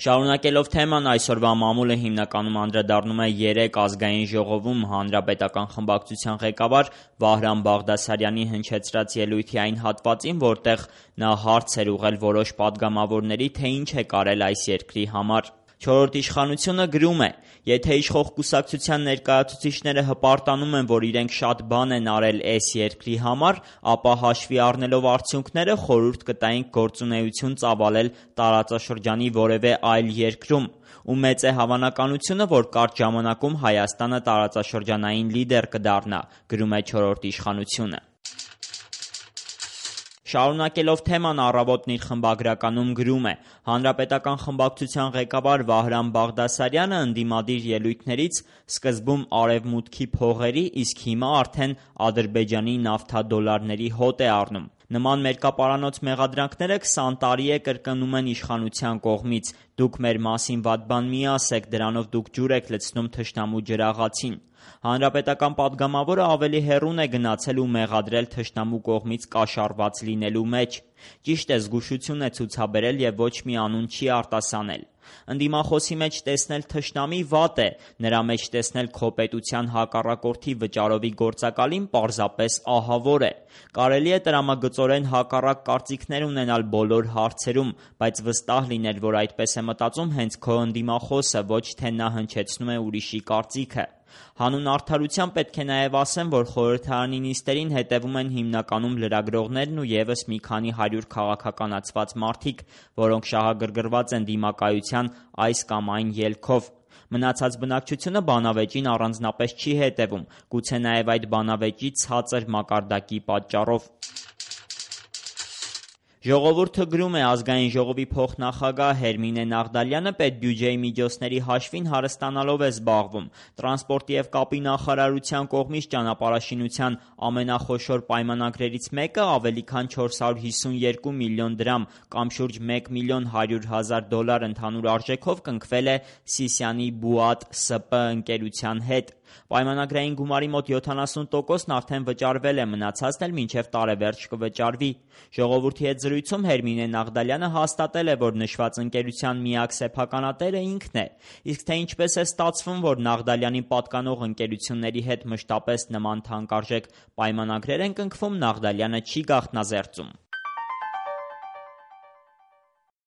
Շարունակելով թեման, այսօրվա մամուլը հիմնականում անդրադառնում է 3 ազգային ժողովում հանրապետական խմբակցության ղեկավար Վահրամ Բաղդասարյանի հնչեցրած ելույթի այն հատվածին, որտեղ նա հարց էր ուղղել որոշ պատգամավորների, թե ինչ է կարել այս երկրի համար։ Չորրորդ իշխանությունը գրում է. «Եթե իշխող կուսակցության ներկայացուցիչները հպարտանում են, որ իրենք շատ բան են արել էս երկրի համար, ապա հաշվի առնելով արդյունքները խորհուրդ կտայինք գործունեություն ծավալել տարածաշրջանի որևէ այլ երկրում, ու մեծ է հավանականությունը, որ կարճ ժամանակում Հայաստանը տարածաշրջանային լիդեր կդառնա», գրում է չորրորդ իշխանությունը։ Շարունակելով թեման, Առավոտն իր խմբագրականում գրում է. «Հանրապետական խմբակցության ղեկավար Վահրամ Բաղդասարյանը ընդդիմադիր ելույթներից սկզբում արևմուտքի փողերի, իսկ հիմա արդեն Ադրբեջանի նավթադոլարների հոտ է առնում։ Նման մերկապարանոց մեղադրանքները 20 տարի է կրկնում են իշխանության կողմից։ Դուք մեր մասին վատ բան մի ասեք, դրանով դուք ջուր եք լցնում թշնամու ջրաղացին։ Հանրապետական պատգամավորը ավելի հեռուն է գնացել ու մեղադրել թշնամու կողմից կաշառված լինելու մեջ։ Ճիշտ է, զգուշություն է ցուցաբերել և ոչ մի անուն չի արտասանել։ Ընդդիմախոսի մեջ տեսնել թշնամի վատ է, նրա մեջ տեսնել քո պետության հակառակորդի վճարովի գործակալին պարզապես ահավոր է։ Կարելի է տրամագծորեն հակառակ կարծիքներ ունենալ բոլոր հարցերում, բայց վստահ լինել, որ այդպես է մտածում հենց քո ընդդիմախոսը, ոչ թե նա հնչեցնում է ուրիշի կարծիքը։ Հանուն արդարության պետք է նաև ասեմ, որ խորհրդարանի նիստերին հետևում են հիմնականում լրագրողներն ու ևս մի քանի 100 քաղաքականացված մարդիկ, որոնք շահագրգռված են դիմակայության այս կամ այն ելքով։ Մնացած բնակչությունը բանավեճին առանձնապես չի հետևում, գուցե նաև այդ բանավեճի ցածր մակարդակի պատճառով»։ Ժողովուրդը գրում է. Ազգային ժողովի փոխնախագահ Հերմինե Նաղդալյանը պետբյուջեի միջոցների հաշվին հարստանալով է զբաղվում։ Տրանսպորտի և կապի նախարարության կողմից ճանապարհաշինության ամենախոշոր պայմանագրերից մեկը ավելի քան 452 միլիոն դրամ կամ շուրջ 1 միլիոն 100 հազար դոլար ընդհանուր արժեքով կնքվել է Սիսիանի Բուատ ՍՊ ընկերության հետ։ Պայմանագրային գումարի մոտ 70%-ն արդեն վճարվել է, մնացածն էլ մինչև տարեվերջ կվճարվի։ Ժողովրդի հետ զրույցում Հերմինե Նաղդալյանը հաստատել է, որ նշված ընկերության միակ սեփականատերը ինքն է։ Իսկ թե ինչպես է ստացվում, որ Նաղդալյանին պատկանող ընկերությունների հետ մշտապես նման թանկարժեք պայմանագրեր են կնքվում, Նաղդալյանը չի գաղտնազերծում։